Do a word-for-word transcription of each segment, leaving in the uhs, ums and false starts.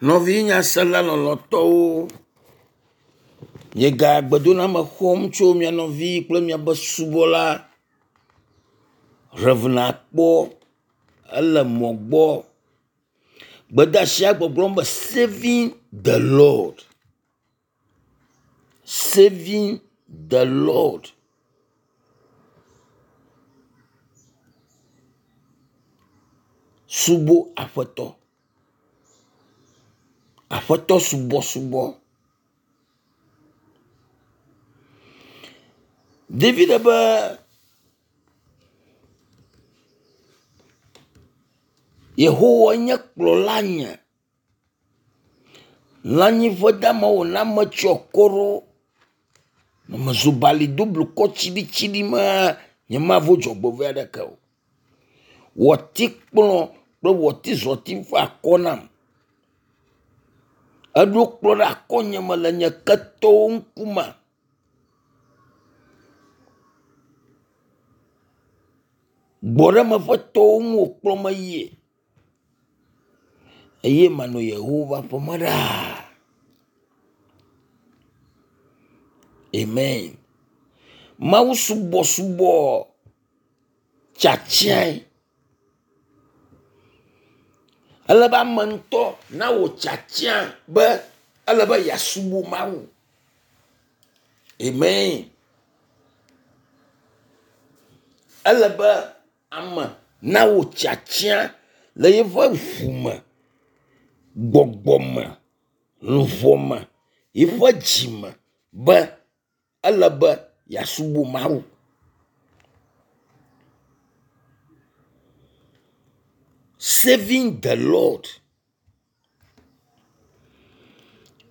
Nɔvi nyasela lɔlɔ̃tɔwo, miega gbedoname xɔm tso mia nɔvi kple miaƒe subɔla Rev. Akpɔ ele mɔ gbɔ. Gbedeasia gbɔgblɔm be saving the Lord, saving the Lord. Subo aƒetɔ. Aƒetɔ subɔsubɔ. David be Yehowa nye kplɔla nye. Lãnyiƒe damawo wòna metsyɔ akɔ ɖo. Ne mezu bali do blukɔ tsiɖitsiɖi mea, nyemavo dzɔgbevɔ̃e aɖeke o. Wò atikplɔ kple wò atizɔti fa akɔ nam. Èɖo kplɔ ɖe akɔnyeme le nye ketɔwo ŋkume. Gbɔɖeme ƒe tɔwo ŋu wòkplɔm yie eye manɔ Yehowa ƒe aƒeme ɖaa. Amen. Mawu subɔsubɔ tiatiae. Ele be ame ŋutɔ nawɔ tiatia be ele be yeasubɔ Mawu. Amen. Ele be ame nawɔ tiatia le yeƒe ʋu me, gbɔgbɔ me, luʋɔ me, yeƒe dzi me be ele be yeasubɔ Mawu. Saving the Lord.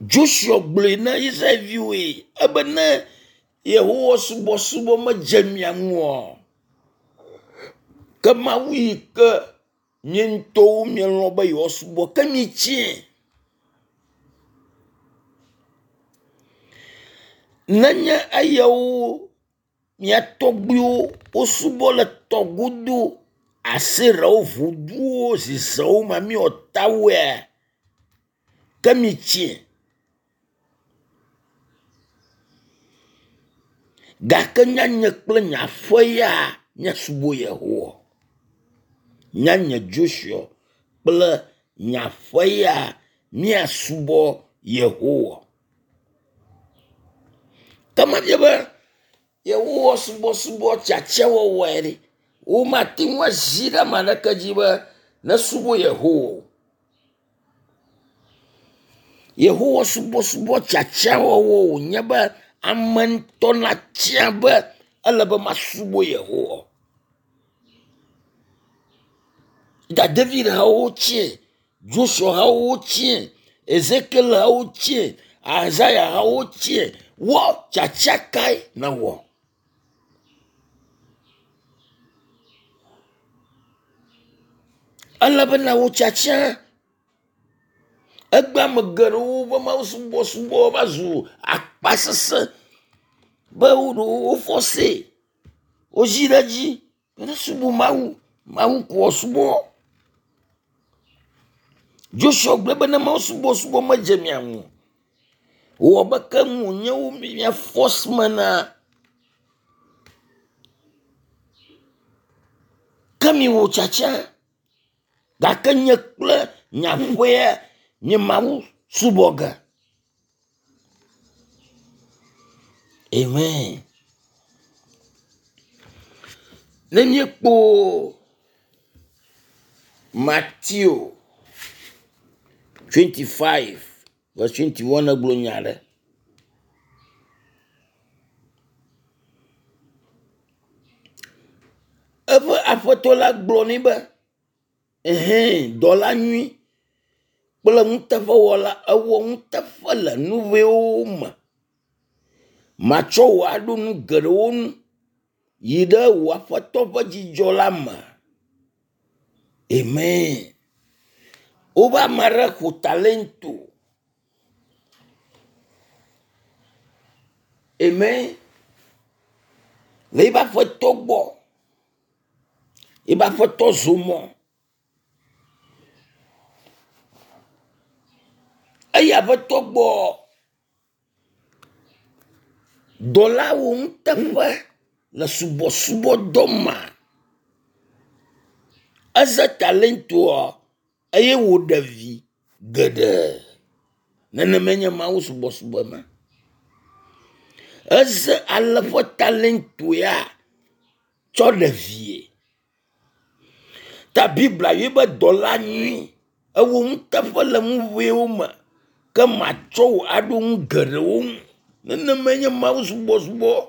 Joshua gblɔe na Israelviwoe ebe ne Yehowa subɔsubɔ medze mia ŋu oa, ke Mawu yi ke mie ŋutɔwo mielɔ̃ be yewoasubɔ ke mitie. Nenye eyawo mia tɔgbuiwo wosubɔ le tɔ godo Aserawo, voduwo, zizewo mamiwɔtawoea, ke mitie. Gake nye kple nye aƒe ya míasubɔ Yehowa. Nye Joshua kple nye aƒe ya míasubɔ Yehowa. Ke mebia be Yehowa subɔsubɔ tiatiawɔwɔe ɖe, womate ŋu azi ɖe ame aɖeke dzi be nesubɔ Yehowa o. Yehowa subɔsubɔ tiatiawɔwɔ wònye be ame ŋutɔ natia be ele be masubɔ Yehowa. Da David hawo tsie, Joshua hawo tsie, Ezekiel hawo tsie, Isaiah hawo tsie. Wɔ tiatia kae nèwɔ? Ele be nawɔ tiatia. Egbe ame geɖewo ƒe Mawu subɔsubɔ va zu akpasesẽ be wo wofɔsee, wozi ɖe edzi be nesubɔ Mawu. Mawu ko woasubɔ. Joshua gblɔ be ne Mawu subɔsubɔ medze mia ŋu o, wɔ be ke ŋu wònye wo mia force me na ke miwɔ tiatia. Gake nye kple nye aƒea nye Mawu subɔ ge. Amen. Ne míekpɔ Matthew twenty-five verse twenty-one egblɔ nya aɖe. Eƒe aƒetɔ la gblɔ nɛ be, ehɛ̃ dɔla nyui kple nuteƒewɔla, ewɔ nuteƒe le nu ʋɛwo me. Matsɔ wò aɖo nu geɖewo nu. Yi ɖe wò aƒetɔ ƒe dzidzɔ la me. Amen. Wobe ame aɖe xɔ talento. Amen. Le eƒe aƒetɔ gbɔ. Eƒe aƒetɔ zɔ mɔ. yi aƒetɔ gbɔ. Dɔla wɔ nuteƒe le subɔsubɔdɔ me. Eze talentoa eye wòɖe vi geɖe. Nenemae nye Mawu subɔsubɔ ma. Eze ale ƒe talento ya tsɔ ɖe vie. Ta Biblia yɔe be dɔla nyui. Ewɔ nuteƒe le nu ʋɛwo me ke matsɔ wò aɖo nu geɖewo ŋu. Nenemae nye Mawu subɔsubɔ.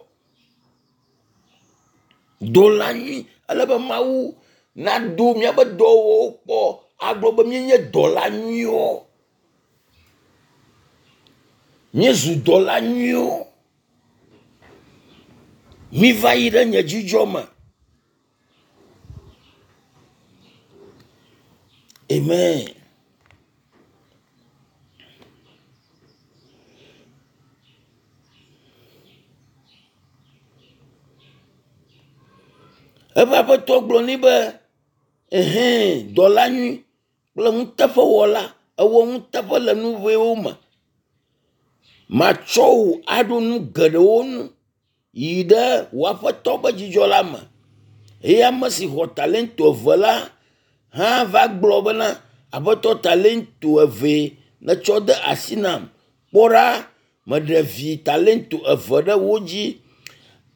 Dɔla nyui ele be Mawu nado míaƒe dɔwɔwɔwo kpɔ agblɔ be míenye dɔla nyuiwo. Míezu dɔla nyuiwo. Míva yi ɖe nye dzidzɔ me. Amen. Eƒe aƒetɔ gblɔ nɛ be, ehɛ̃ dɔla nyui kple nuteƒewɔla, èwɔ nuteƒe le nu ʋɛwo me. Matsɔ wò aɖo nu geɖewo nu. Yi ɖe wò aƒetɔ ƒe dzidzɔ la me. Eye ame si xɔ talento eve la hã va gblɔ bena, aƒetɔ talento evee nètsɔ de asi nam. Kpɔ ɖa, meɖe vi talento eve ɖe wo dzi.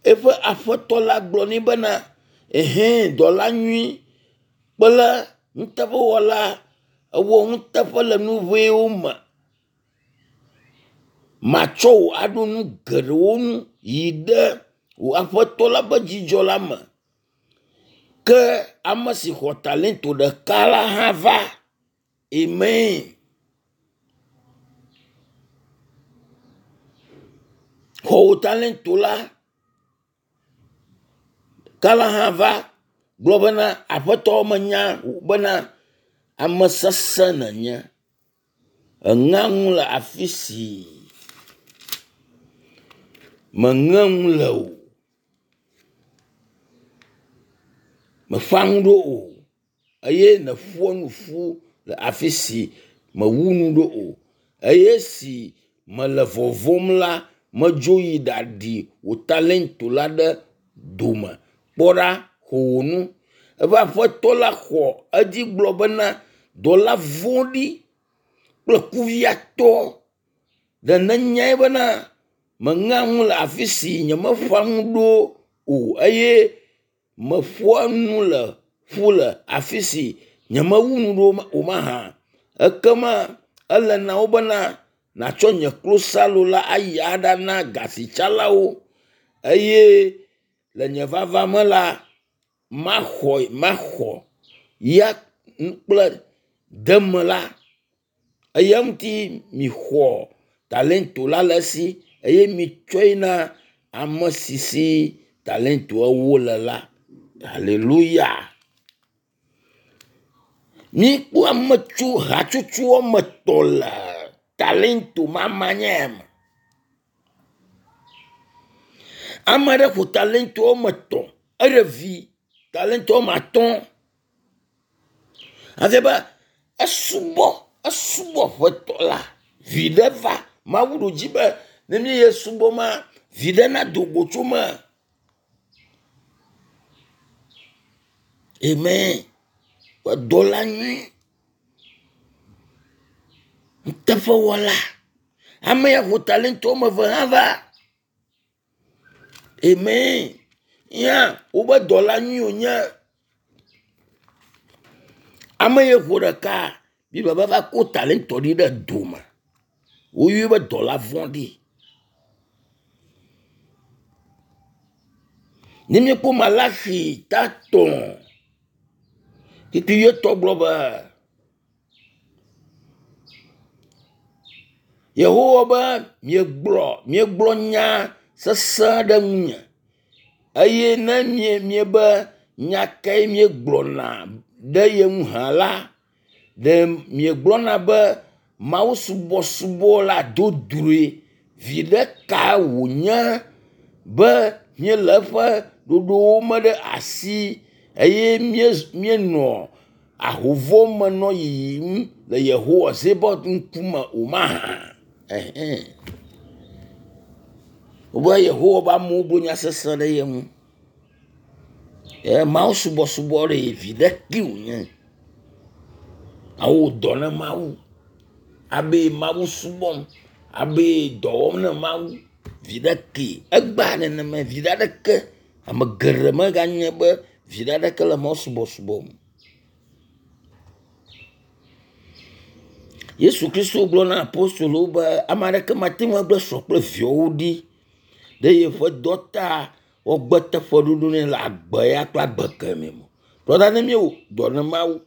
Eƒe aƒetɔ la gblɔ nɛ bena, ehɛ̃ dɔla nyui kple nuteƒewɔla, èwɔ nuteƒe le nu ʋɛwo me. Matsɔ wò aɖo nu geɖewo ŋu yi ɖe wò aƒetɔ la ƒe dzidzɔ la me. Ke ame si xɔ talento ɖeka la hã va. Amen. Xɔ wò talento la ɖeka la hã va gblɔ bena aƒetɔ menya bena ame sesẽ nènye. Èŋea nu le afi si mèŋe nu le o. Mèƒã nu ɖo o eye nèƒoa nu ƒu le afi si mèwu nu ɖo o. Eye esi mele vɔvɔ̃m la, medzo yi ɖaɖi wò talento la ɖe dome. Kpɔ ɖa, xɔ wò nu. Eƒe aƒetɔ la xɔ edzi gblɔ bena, dɔla vɔ̃ɖi kple kuviatɔ, ɖe nènyae bena meŋea nu le afi si nyemeƒã nu ɖo o eye meƒoa nu le ƒu le afi si nyemewu nu ɖo o mahã? Ekema ele na wo bena nàtsɔ nye klosalo la ayi aɖana gasitsalawo eye le nye vava me la, maxɔ maxɔ ya kple deme la. Eya ŋuti mixɔ talento la le esi eye mitsɔe na ame si si talento ewo le la. Haleluya. Míkpɔ ame tso hatsotso woame etɔ̃ le talento mama nya me. Ame aɖe ƒo talento woame etɔ̃, eɖe vi talento woame atɔ̃. Efia be esubɔ esubɔ ƒetɔ la, viɖe va. Mawu ɖo dzi be ne míeye subɔ ma, viɖe nado go tso me. Amen. Ƒe dɔla nyui, nuteƒewɔla. Ame ya ƒo talento woame eve hã va. Amen. Ya wobe dɔla nyui wònye. Ame ye ƒo ɖeka, Biblia be eva ko talento ɖi ɖe dome. Woyɔe be dɔla vɔ̃ɖi. Ne míekpɔ Malaxi ta tɔ̃, kpukpui etɔ̃ gblɔ be, Yehowa be miegblɔ miegblɔ nya sesẽ ɖe ŋunye eye ne mie miebe nya kae míegblɔna ɖe ye ŋu hã la, ɖe miegblɔna be mawusubɔsubɔ la dodroe. Viɖe ka wònye be míele eƒe ɖoɖowo me ɖe asi eye míenɔ Ahovɔ menɔ yiyim le Yehowa Zebaot ŋkume o mahã? Ɛhɛn. Wobe Yehowa be amewo gblɔ nya sesẽ ɖe ye ŋu. Ye Mawu subɔsubɔ ɖe viɖe kee wònye. Awɔ dɔ ne Mawu. Abe Mawu subɔm, abe dɔ wɔm ne Mawu. Viɖe kee. Egbea nenema viɖe aɖeke ame geɖe meganye be viɖe aɖeke le Mawu subɔsubɔ me. Yesu Kristo gblɔ na apostolowo be ame aɖeke mate ŋu agblẽ srɔ̃ kple viawo ɖi ɖe yeƒe dɔ ta woagbe teƒeɖoɖo nɛ le agbe ya kple agbe kemɛ me. Brɔda ne míewɔ dɔ ne Mawu,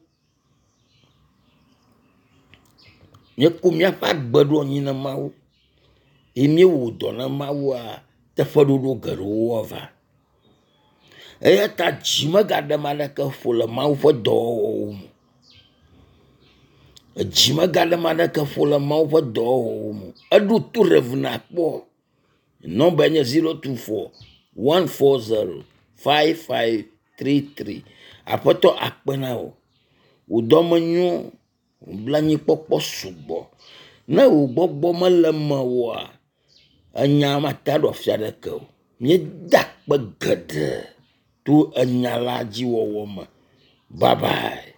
míeko míaƒe agbe ɖo anyi na Mawu ye míewɔ dɔ na Mawua, teƒeɖoɖo geɖewo ava. Eya ta dzi megaɖe ame aɖeke ƒo le Mawu ƒe dɔwɔwɔwo me. Edzi megaɖe ame aɖeke ƒo le Mawu ƒe dɔwɔwɔwo me. Eɖo to Rev nakpɔ. Nɔmba nye zero two four one four zero five five three three. Aƒetɔ akpe na wò. Wò dɔme nyo, wò blanuikpɔkpɔ sugbɔ. Ne wò gbɔgbɔ mele mewòa, enya mate aɖo afi aɖeke o. Míeda akpe geɖe to enya la dzi wɔwɔ me. Bye bye.